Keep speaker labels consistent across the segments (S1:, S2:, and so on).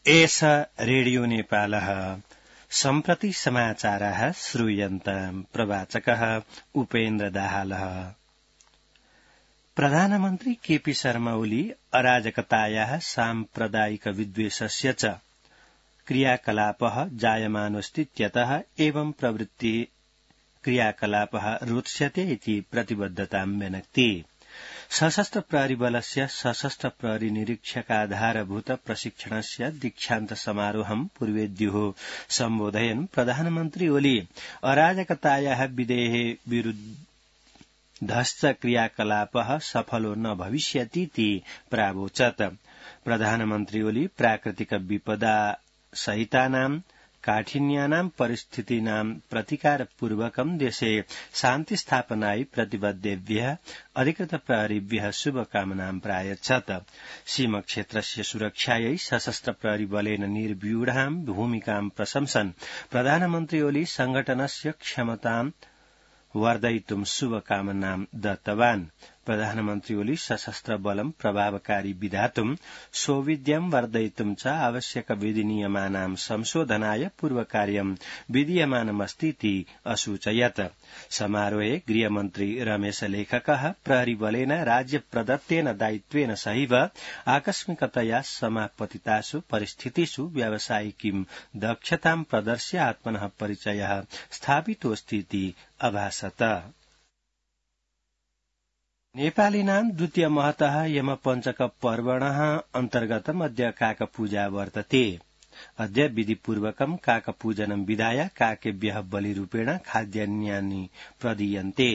S1: एष रेडियो नेपालः सम्प्रति समाचाराः श्रूयन्ताम्। प्रवाचकः उपेन्द्र दाहालः। प्रधानमन्त्री केपी शर्मा ओली अराजकतायाः साम्प्रदायिक विद्वेषस्य च क्रियाकलापः जायमानोऽस्तीत्यतः एवं प्रवृत्ति क्रियाकलापः रोत्स्यते इति प्रतिबद्धतां व्यनक्ति। सशस्त्र प्रहरी बलस्य सशस्त्र प्रहरी निरीक्षकाधारभूत प्रशिक्षणस्य दीक्षान्त समारोहं पूर्वेद्युः सम्बोधयन् प्रधानमन्त्री ओली अराजकतायाः विधेः विरुद्धश्च क्रियाकलापः सफलो न भविष्यतीति प्रावोचत्। प्रधानमन्त्री ओली प्राकृतिक विपदा सहितानां काठिन्यानां परिस्थितीनां प्रतिकारपूर्वकं देशे शान्ति स्थापनाय प्रतिबद्धेभ्यः अधिकृत प्रहरीभ्यः शुभकामनां प्रायच्छत्। सीमाक्षेत्रस्य सुरक्षायै सशस्त्र प्रहरी बलेन निर्व्यूढां भूमिकां प्रशंसन् प्रधानमन्त्री ओली संघटनस्य क्षमतां वर्धयितुं शुभकामनां दत्तवान्। प्रधानमन्त्री ओली सशस्त्र बलं प्रभावकारी विधातुं सौविध्यं वर्धयितुं च आवश्यक विधिनियमानां संशोधनाय पूर्वकार्यं विधीयमानमस्तीति असूचयत्। समारोहे गृहमन्त्री रमेश लेखकः प्रहरी बलेन राज्य प्रदत्तेन दायित्वेन सहैव आकस्मिकतया समापतितासु परिस्थितिषु व्यावसायिकीं दक्षतां प्रदर्श्य आत्मनः परिचयः स्थापितोऽस्तीति अभासत। नेपालिनां द्वितीय महतः यमपञ्चक पर्वणः अन्तर्गतम् अद्य काकपूजा वर्तते। अद्य विधिपूर्वकं काकपूजनं विधाय काकेभ्यः बलिरूपेण खाद्यान्यानि प्रदीयन्ते।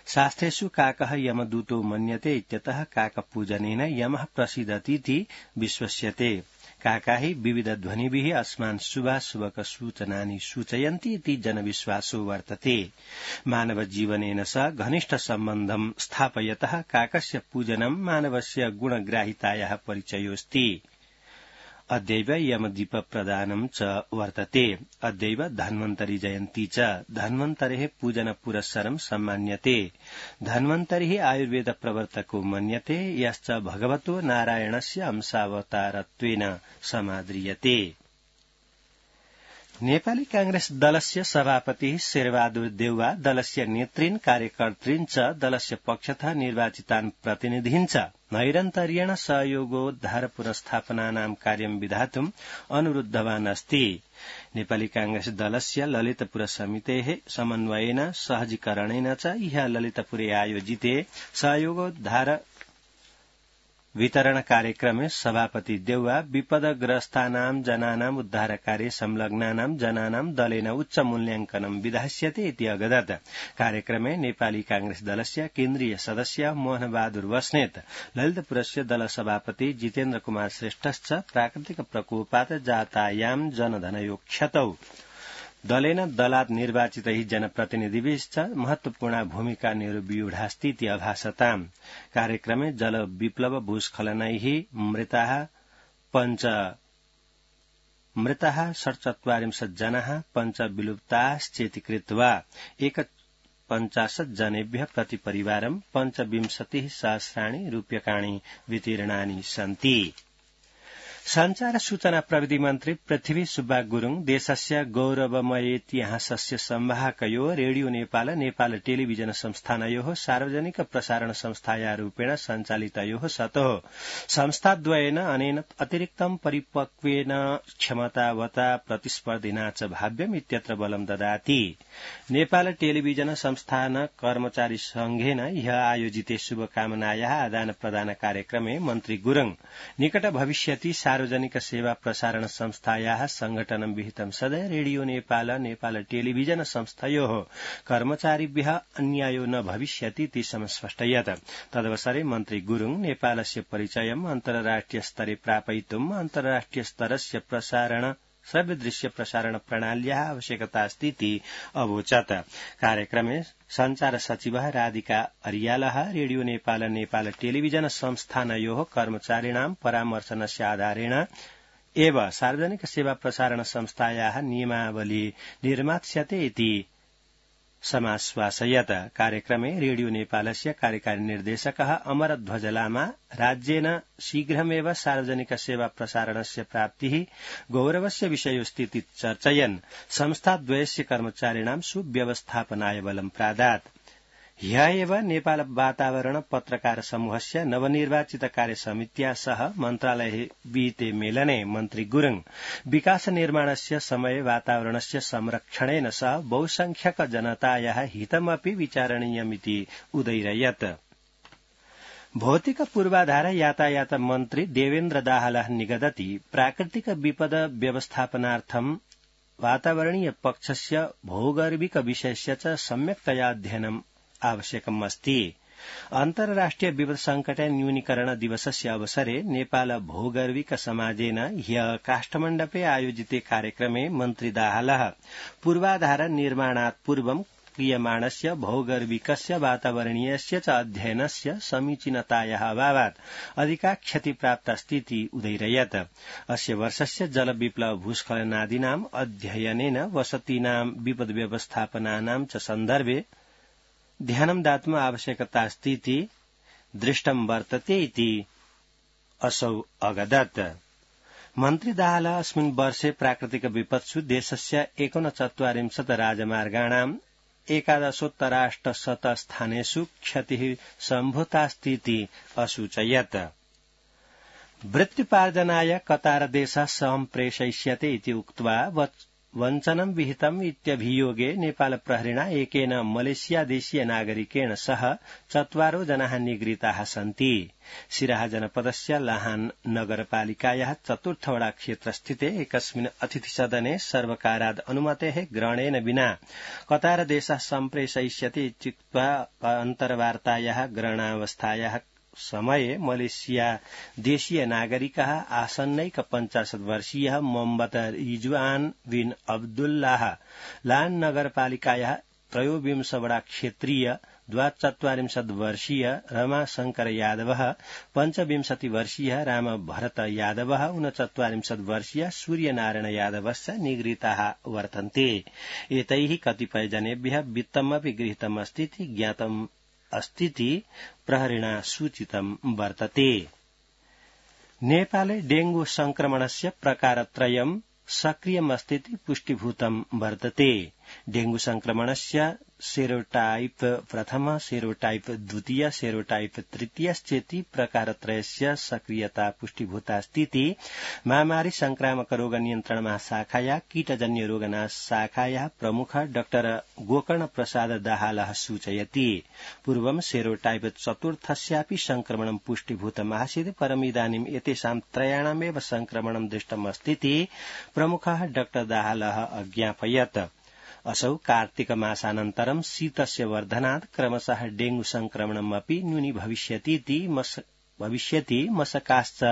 S1: शास्त्रेषु काकः यमदूतो मन्यते इत्यतः काकपूजनेन यमः प्रसीदतीति विश्वस्यते। काका हि विविध ध्वनिभिः अस्मान् शुभाशुभक सूचनानि सूचयन्ति इति जनविश्वासो वर्तते। मानव जीवनेन सह घनिष्ठ सम्बन्धं स्थापयतः काकस्य पूजनं मानवस्य गुणग्राहितायाः परिचयोऽस्ति। अद्यैव यमदीप प्रदानं च वर्तते। अद्यैव धन्वन्तरी जयन्ती च। धन्वन्तरेः पूजन पुरस्सरं सम्मान्यते। धन्वन्तरिः आयुर्वेद प्रवर्तको मन्यते, यश्च भगवतो नारायणस्य अंशावतारत्वेन समाद्रियते। नेपाली कांग्रेस दलस्य सभापति शेरबहादुर देउवा दलस्य नेतृन् कार्यकर्तृन् च दलस्य पक्षतः निर्वाचितान् प्रतिनिधीन् च नैरन्तर्येण सहयोगोद्धार पुरस्थापनानां कार्यं विधातुम् अनुरुद्धवान् अस्ति। नेपाली कांग्रेस दलस्य ललितपुर समितेः समन्वयेन सहजीकरणेन च ह्यः ललितपुरे आयोजिते सहयोगोद्धार वितरण कार्यक्रमे सभापति देउवा विपदग्रस्तानां जनानां उद्धारकार्ये संलग्नानां जनानां दलेन उच्च मूल्याङ्कनं विधास्यते इति अगदत्। कार्यक्रमे नेपाली कांग्रेस दलस्य केन्द्रीय सदस्य मोहनबहादुर बस्नेत, ललितपुरस्य दल सभापति जितेन्द्र कुमार श्रेष्ठश्च प्राकृतिक प्रकोपात् जातायां जनधनयो क्षतौ दलेन दलात् निर्वाचितैः जनप्रतिनिधिभिश्च महत्वपूर्णा भूमिका निर्व्यूढास्तीति अभासताम्। कार्यक्रमे जल विप्लव भूस्खलनैः मृताः 47 जनाः पञ्चविलुप्ताश्चेति कृत्वा 51 जनेभ्यः प्रतिपरिवारं 25,000 रूप्यकाणि वितीर्णानि सन्ति। संचार सूचना प्रविधि मन्त्री पृथ्वी सुब्बा गुरूङ देशस्य गौरवमयेतिहासस्य संवाहकयोः रेडियो नेपाल नेपाल टेलिभिजन संस्थानयोः सार्वजनिक प्रसारण संस्थाया रूपेण सञ्चालितयोः स्तः संस्थाद्वयेन अनेन अतिरिक्तं परिपक्वेन क्षमतावता प्रतिस्पर्धिना च भाव्यम् इत्यत्र बलं ददाति। नेपाल टेलिभिजन संस्थान कर्मचारी संघेन ह्यः आयोजिते शुभकामनायाः आदान प्रदान कार्यक्रमे मन्त्री गुरूङ निकट भविष्यति सार्वजनिक सेवा प्रसारण संस्थायाः संघटनं विहितं सदा रेडियो नेपाल नेपाल टेलिभिजन संस्थयोः कर्मचारिभ्यः अन्यायो न भविष्यतीति समस्पष्टयत्। तदवसरे मन्त्री गुरूङ नेपालस्य परिचयम् अन्तर्राष्ट्रिय स्तरे प्रापयितुम् अन्तर्राष्ट्रिय स्तरस्य श्रव्यदृश्य प्रसारण प्रणाल्याः आवश्यकतास्तीति अवोचत्। कार्यक्रमे संचार सचिवः राधिका अरियालः रेडियो नेपाल नेपाल टेलिभिजन संस्थानयोः कर्मचारिणां परामर्शनस्य आधारेण एव सार्वजनिक सेवा प्रसारण संस्थायाः नियमावली निर्मास्यते इति समाश्वासयत्। कार्यक्रमे रेडियो नेपालस्य कार्यकारी निर्देशकः अमरध्वज लामा राज्येन शीघ्रमेव सार्वजनिक सेवा प्रसारणस्य प्राप्तिः गौरवस्य विषयोस्तीति चर्चयन् संस्थाद्वयस्य कर्मचारिणां सुव्यवस्थापनाय बलं प्रादात्। ह्यः एव नेपाल वातावरण पत्रकार समूहस्य नवनिर्वाचित कार्यसमित्या सह मन्त्रालये विहिते मेलने मन्त्री गुरुङ विकास निर्माणस्य समये वातावरणस्य संरक्षणेन सह बहुसंख्यक जनतायाः हितमपि विचारणीयमिति उदैरयत्। भौतिक पूर्वाधार यातायात मन्त्री देवेन्द्र दाहालः निगदति प्राकृतिक विपद व्यवस्थापनार्थं वातावरणीय पक्षस्य भौगर्भिक विषयस्य च सम्यक्तया अध्ययनम् आवश्यकम् अस्ति। अन्तर्राष्ट्रिय विपद संकट न्यूनीकरण दिवसस्य अवसरे नेपाल भौगर्भिक समाजेन ह्यः काष्ठमण्डपे आयोजिते कार्यक्रमे मन्त्री दाहालः पूर्वाधार निर्माणात् पूर्वं क्रियमाणस्य भौगर्भिकस्य वातावरणीयस्य च अध्ययनस्य समीचीनतायाः अभावात् अधिका क्षतिप्राप्तास्तीति उदैरयत्। अस्य वर्षस्य जलविप्लव भूस्खलनादीनाम् अध्ययनेन वसतीनां विपद व्यवस्थापनानां च सन्दर्भे ध्यानं दातुम् आवश्यकतास्तीति दृष्टं वर्तते इति असौ अगदत्। मन्त्री दाहालः अस्मिन् वर्षे प्राकृतिक विपत्सु देशस्य 49 राजमार्गाणां 11 स्थानेषु क्षतिः सम्भूतास्तीति असूचयत्। वृत्त्युपार्जनाय कतारदेशः सम्प्रेषयिष्यते इति उक्त्वा वञ्चनं विहितम् इत्यभियोगे नेपाल प्रहरिणा एकेन मलेशियादेशीय नागरिकेण सह 4 जनाः निगृहीताः सन्ति। सिराहा जनपदस्य लाहान नगरपालिकायाः 4th वडा क्षेत्रस्थिते एकस्मिन् अतिथिसदने सर्वकाराद् अनुमतेः ग्रहणेन विना कतारदेशः सम्प्रेषयिष्यते इत्युक्त्वा अन्तर्वार्तायाः ग्रहणावस्थायाः समये मलेशिया देशीय नागरिकः आसन्नैक 50 वर्षीयः मोहम्मद रिजवान बिन अब्दुल्लाह लान नगरपालिकायाः 23 वडा क्षेत्रीय 42 वर्षीय रमाशंकर यादवः 25 वर्षीयः राम भरत यादवः 39 वर्षीय सूर्यनारायण यादवश्च निगृहीताः वर्तन्ते। एतैः कतिपय जनेभ्यः वित्तमपि गृहीतमस्तीति ज्ञातम् अस्तीति प्रहरिणा सूचितं वर्तते। नेपाले डेंगू संक्रमणस्य प्रकारत्रयं सक्रियमस्तीति पुष्टिभूतं वर्तते। डेंगू संक्रमणस्य सेरोटाइप प्रथम, सेरोटाइप द्वितीय, सेरोटाइप तृतीयश्चेति प्रकारत्रयस्य सक्रियता पुष्टिभूतास्तीति महामारी संक्रामक रोग नियन्त्रण महाशाखाया कीटजन्य रोगनाश शाखाया प्रमुख डाक्टर गोकर्ण प्रसाद दाहालः सूचयति। पूर्वं सेरोटाइप चतुर्थस्यापि संक्रमणं पुष्टिभूतम् आसीत्, परमिदानीम् एतेषां त्रयाणामेव संक्रमणं दृष्टमस्तीति प्रमुखः डाक्टर दाहालः अज्ञापयत्। असौ कार्तिक मासानन्तरं शीतस्य वर्धनात् क्रमशः डेंगू संक्रमणम् अपि न्यूनी भविष्यति, मशकाश्च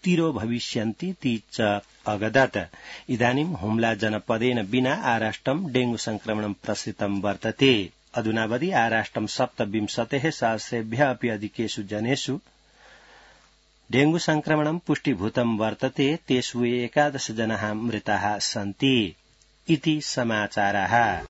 S1: तिरो भविष्यन्ति च अगदत्। इदानीं हुम्ला जनपदेन विना आराष्ट्रं डेंगू संक्रमणं प्रसृतं वर्तते। अधुनावधि आराष्ट्रं 27,000 अपि अधिकेषु जनेषु डेंगू संक्रमणं पुष्टिभूतं वर्तते। तेषु 11 जनाः मृताः सन्ति इति समाचाराः।